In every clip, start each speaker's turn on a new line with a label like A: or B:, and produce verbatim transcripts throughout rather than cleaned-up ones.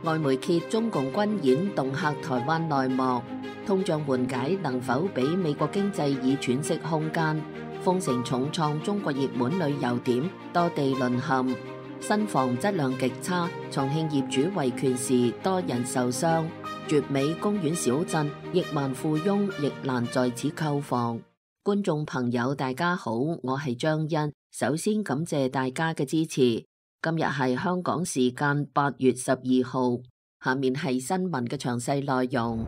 A: 外媒揭中共軍演恫嚇台灣內幕，通脹緩解能否俾美國經濟以喘息空間？封城重創中國熱門旅遊點，多地淪陷。新房質量極差，重慶業主維權時多人受傷。絕美公園小鎮，億萬富翁亦難在此購房。觀眾朋友大家好，我係張欣，首先感謝大家嘅支持。今日係香港時間八月十二號，下面係新聞嘅詳細內容。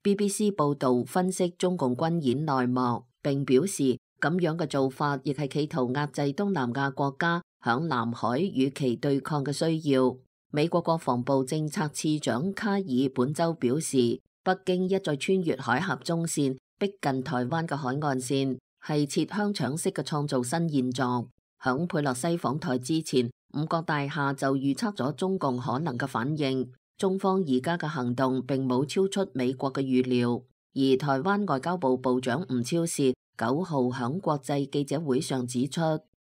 A: B B C 報道分析中共軍演內幕，並表示咁樣嘅做法亦係企圖壓制東南亞國家響南海與其對抗嘅需要。美國國防部政策次長卡爾本周表示，北京一再穿越海峽中線，逼近台灣嘅海岸線，係切香腸式嘅創造新現狀。響佩洛西訪台之前，五角大廈就預測咗中共可能嘅反應。中方而家嘅行動並冇超出美國嘅預料。而台灣外交部部長吳釗燮九號響國際記者會上指出，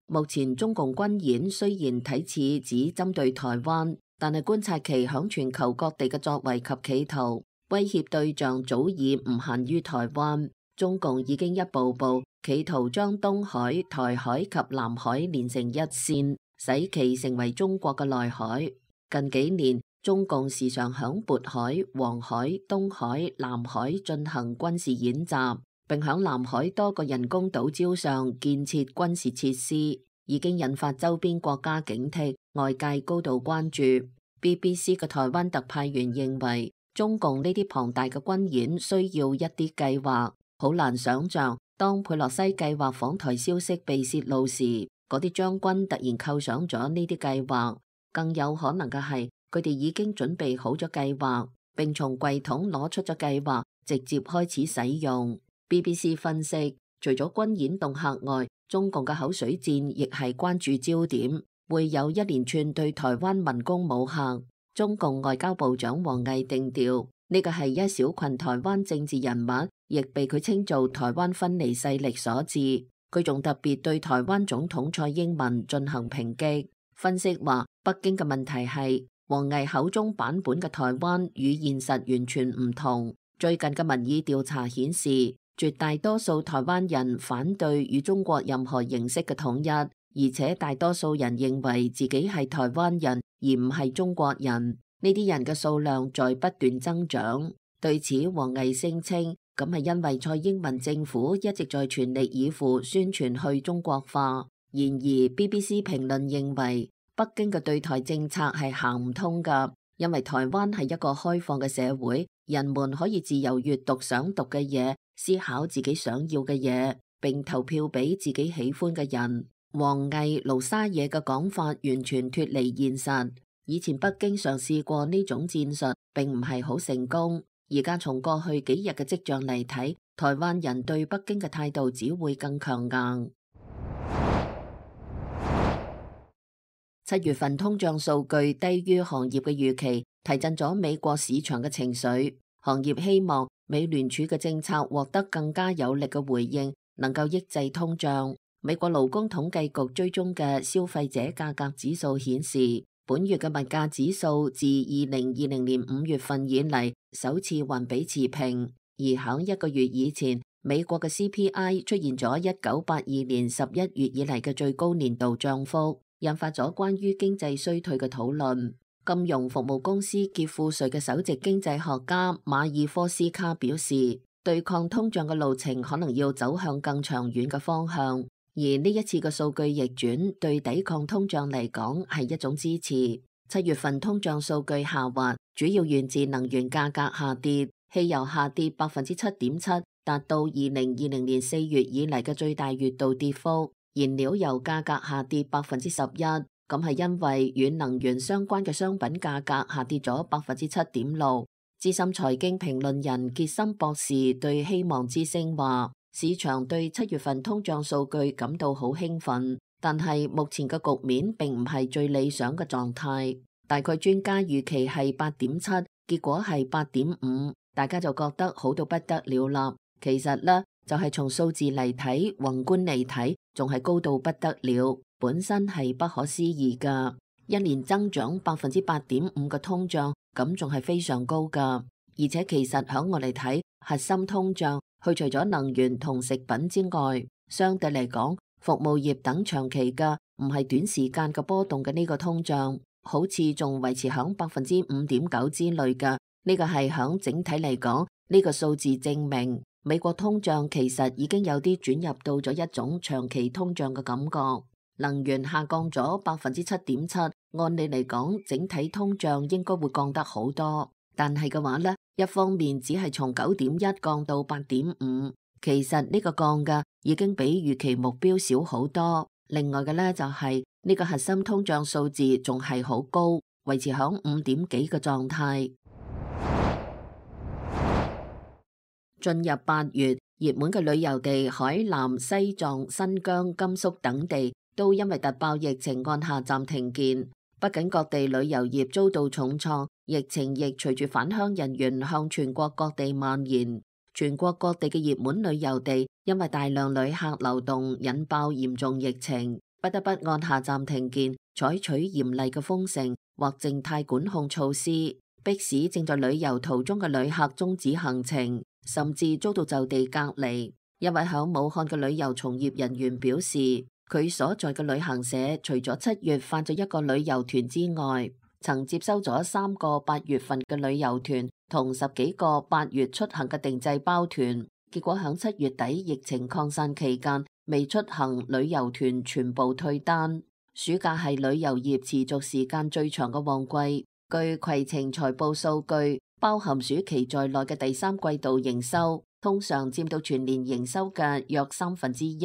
A: 目前中共軍演雖然睇似只針對台灣，但係觀察其響全球各地嘅作為及企圖，威脅對象早已唔限於台灣。中共已經一步步企圖將東海、台海及南海連成一線，使其成為中國嘅內海。近幾年，中共時常響渤海、黃海、東海、南海進行軍事演習，並響南海多個人工島礁上建設軍事設施，已經引發周邊國家警惕，外界高度關注。B B C 嘅台灣特派員認為，中共呢啲龐大嘅軍演需要一啲計劃。好難想象，當佩洛西計劃訪台消息被泄露時，嗰啲將軍突然構想咗呢啲計劃。更有可能嘅係，佢哋已經準備好咗計劃，並從櫃桶攞出咗計劃，直接開始使用。B B C 分析，除咗軍演恫嚇外，中共嘅口水戰亦係關注焦點，會有一連串對台灣文攻武嚇。中共外交部長王毅定調，呢個係一小群台灣政治人物，亦被佢稱做台灣分離勢力所致。佢仲特別對台灣總統蔡英文進行抨擊。分析話，北京嘅問題係王毅口中版本嘅台灣與現實完全唔同。最近嘅民意調查顯示，絕大多數台灣人反對與中國任何形式嘅統一，而且大多數人認為自己係台灣人而唔係中國人。呢啲人嘅數量在不斷增長。對此，王毅聲稱，咁係因為蔡英文政府一直在全力以赴宣傳去中國化。然而 B B C 評論認為，北京嘅對台政策係行唔通㗎，因為台灣係一個開放嘅社會，人們可以自由閱讀想讀嘅嘢，思考自己想要嘅嘢，並投票俾自己喜歡嘅人。王毅盧沙野嘅講法完全脫離現實。以前北京嘗試過呢種戰術，並唔係好成功。而家從過去幾日嘅跡象嚟睇，台灣人對北京嘅態度只會更強硬。七月份通脹數據低於行業嘅預期，提振咗美國市場嘅情緒。行業希望美聯儲嘅政策獲得更加有力嘅回應，能夠抑制通脹。美國勞工統計局追蹤嘅消費者價格指數顯示，本月嘅物價指數自二零二零年五月份以嚟首次環比持平，而響一個月以前，美國嘅 C P I 出現咗一九八二年十一月以嚟嘅最高年度漲幅，引發咗關於經濟衰退嘅討論。金融服務公司傑富瑞嘅首席經濟學家馬爾科斯卡表示，對抗通脹嘅路程可能要走向更長遠嘅方向。而呢一次嘅數據逆轉對抵抗通脹嚟講係一種支持。七月份通脹數據下滑，主要源自能源價格下跌，汽油下跌百分之七點七，達到二零二零年四月以嚟嘅最大月度跌幅。燃料油價格下跌百分之十一，咁係因為與能源相關嘅商品價格下跌咗百分之七點六。資深財經評論人傑森博士對希望之聲話，市場對七月份通脹數據感到好興奮，但係目前嘅局面並唔係最理想嘅狀態。大概專家預期係八點七，結果係八點五，大家就覺得好到不得了啦。其實呢，就係從數字嚟睇，宏觀嚟睇，仲係高到不得了，本身係不可思議㗎。一年增長百分之八點五嘅通脹，咁仲係非常高噶。而且其實響我嚟睇，核心通脹去除咗能源同食品之外，相對嚟講，服務業等長期嘅唔係短時間嘅波動嘅呢個通脹，好似仲維持響百分之五點九之類嘅。呢個係響整體嚟講，呢個數字證明美國通脹其實已經有啲轉入到咗一種長期通脹嘅感覺。能源下降咗百分之七點七，按理嚟講，整體通脹應該會降得好多。但係嘅話呢，一方面只係從九點一降到八點五，其實呢個降嘅已經比預期目標少好多。另外嘅呢，就係呢個核心通脹數字仲係好高，維持響五點幾嘅狀態。進入八月，熱門嘅旅遊地海南、西藏、新疆、甘肅等地都因為突爆疫情按下暫停鍵。不僅各地旅遊業遭到重創，疫情亦隨住返鄉人員向全國各地蔓延。全國各地嘅熱門旅遊地因為大量旅客流動，引爆嚴重疫情，不得不按下暫停鍵，採取嚴厲嘅封城或靜態管控措施，迫使正在旅遊途中嘅旅客終止行程，甚至遭到就地隔離。一位響武漢嘅旅遊從業人員表示，佢所在嘅旅行社除咗七月發咗一個旅遊團之外，曾接收咗三個八月份嘅旅遊團同十幾個八月出行嘅定製包團。結果響七月底疫情擴散期間，未出行旅遊團全部退單。暑假係旅遊業持續時間最長嘅旺季。據攜程財報數據，包含暑期在內嘅第三季度營收，通常佔到全年營收嘅約三分之一。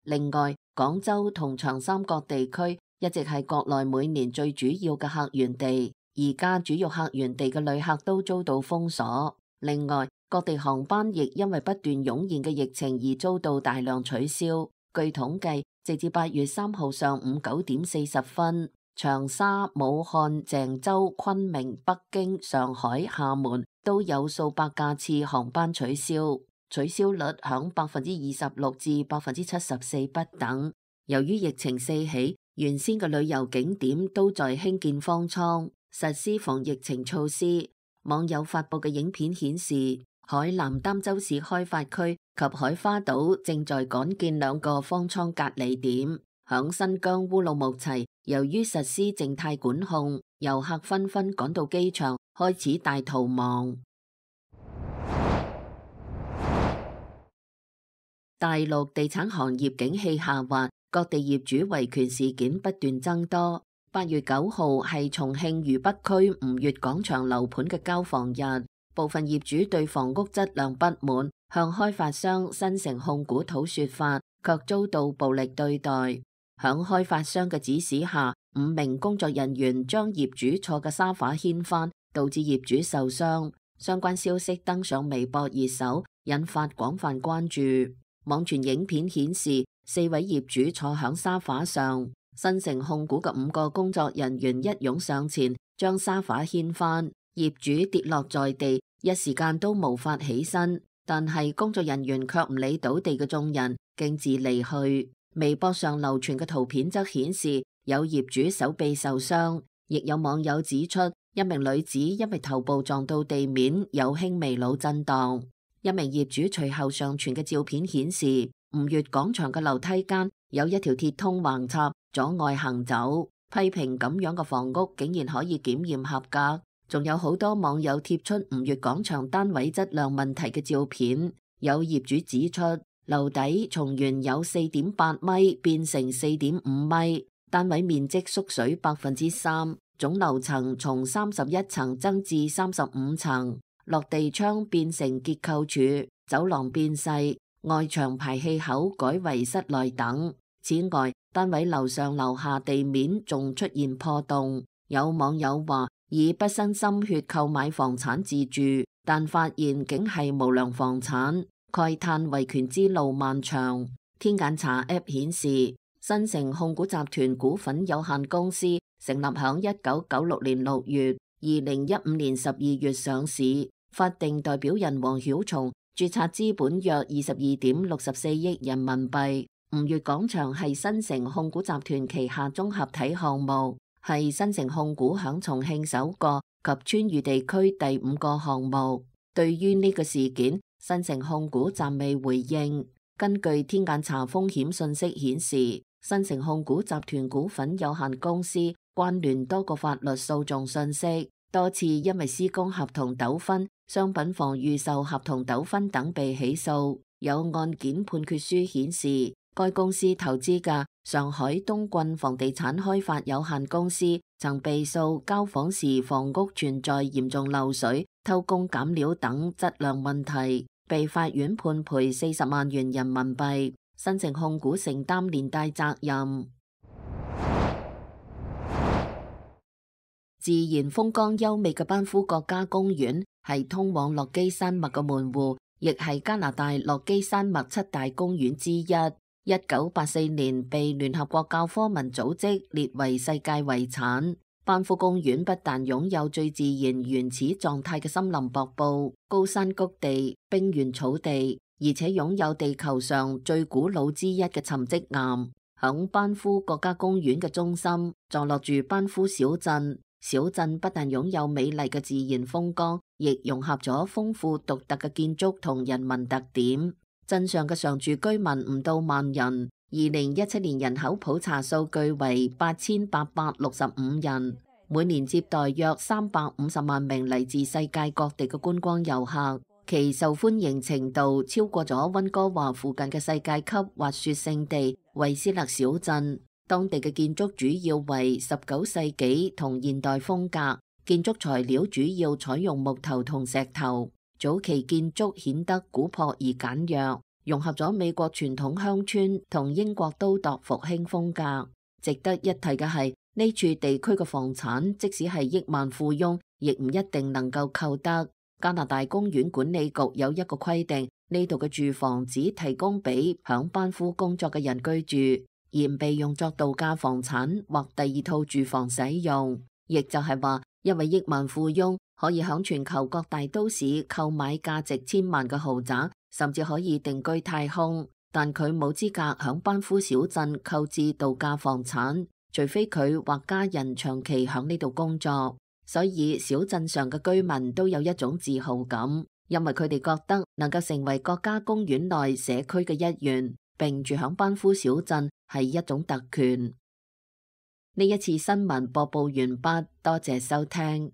A: 另外，廣州同長三角地區一直係國內每年最主要嘅客源地，而家主要客源地嘅旅客都遭到封鎖。另外，各地航班亦因為不斷湧現嘅疫情而遭到大量取消。據統計，直至八月三號上午九點四十分，長沙、武漢、鄭州、昆明、北京、上海、廈門都有數百架次航班取消。取消率響百分之二十六至百分之七十四不等。由於疫情四起，原先嘅旅遊景點都在興建方艙，實施防疫情措施。網友發布嘅影片顯示，海南儋州市開發區及海花島正在趕建兩個方艙隔離點。響新疆烏魯木齊，由於實施靜態管控，遊客紛紛趕到機場，開始大逃亡。大陸地產行業景氣下滑，各地業主維權事件不斷增多。八月九號係重慶渝北區吳越廣場樓盤嘅交房日，部分業主對房屋質量不滿，向開發商新城控股討說法，卻遭到暴力對待。響開發商嘅指使下，五名工作人員將業主坐嘅沙發掀翻，導致業主受傷。相關消息登上微博熱搜，引發廣泛關注。網傳影片顯示，四位業主坐響沙發上，新城控股嘅五個工作人員一擁上前，將沙發掀翻，業主跌落在地，一時間都無法起身。但係工作人員卻唔理倒地嘅眾人，徑自離去。微博上流傳嘅圖片則顯示，有業主手臂受傷，亦有網友指出，一名女子因為頭部撞到地面，有輕微腦震盪。一名業主隨後上傳嘅照片顯示，吳越廣場嘅樓梯間有一條鐵通橫插，阻礙行走。批評咁樣嘅房屋竟然可以檢驗合格。仲有好多網友貼出吳越廣場單位質量問題嘅照片。有業主指出，樓底從原有四點八米變成四點五米，單位面積縮水百分之三，總樓層從三十一層增至三十五層。落地窗變成結構柱，走廊變細，外牆排氣口改為室內等。此外，單位樓上樓下地面仲出現破洞。有網友話，以畢生心血購買房產自住，但發現竟係無良房產，慨嘆維權之路漫長。天眼查 App 顯示，新城控股集團股份有限公司成立響一九九六年六月，二零一五年十二月上市。法定代表人王曉松註冊資本約二十二點六十四億人民幣。吳越廣場係新城控股集團旗下綜合體項目，係新城控股響重慶首個及川渝地區第五個項目。對於呢個事件，新城控股暫未回應。根據天眼查風險信息顯示，新城控股集團股份有限公司關聯多個法律訴訟信息，多次因為施工合同糾紛、商品房預售合同糾紛等被起訴。有案件判決書顯示，該公司投資嘅上海東郡房地產開發有限公司曾被訴交房時房屋存在嚴重漏水、偷工減料等質量問題，被法院判賠四十萬元人民幣，新城控股承擔連帶責任。自然風光優美嘅班夫國家公園係通往落基山脈嘅門戶，亦係加拿大落基山脈七大公園之一。一九八四年被聯合國教科文組織列為世界遺產。班夫公園不但擁有最自然原始狀態嘅森林瀑布、高山谷地、冰原草地，而且擁有地球上最古老之一嘅沉積岩。響班夫國家公園嘅中心坐落住班夫小鎮。小鎮不但擁有美麗嘅自然風光，亦融合咗豐富獨特嘅建築同人民特點。鎮上嘅常住居民唔到萬人，二零一七年人口普查數據為八千八百六十五人，每年接待約三百五十萬名嚟自世界各地嘅觀光遊客，其受歡迎程度超過咗溫哥華附近嘅世界級滑雪勝地惠斯勒小鎮。當地嘅建築主要為十九世紀同現代風格，建築材料主要採用木頭同石頭。早期建築顯得古樸而簡約，融合咗美國傳統鄉村同英國都鐸復興風格。值得一提嘅係，呢處地區嘅房產，即使係億萬富翁，亦唔一定能夠購得。加拿大公園管理局有一個規定，呢度嘅住房只提供俾響班夫工作嘅人居住，而唔被用作度假房產或第二套住房使用。亦就係話，一位億萬富翁可以響全球各大都市購買價值千萬嘅豪宅，甚至可以定居太空，但佢冇資格響班夫小鎮購置度假房產，除非佢或家人長期響呢度工作。所以小鎮上嘅居民都有一種自豪感，因為佢哋覺得能夠成為國家公園內社區嘅一員，並住響班夫小鎮係一種特權。呢一次新聞播報完畢，多謝收聽。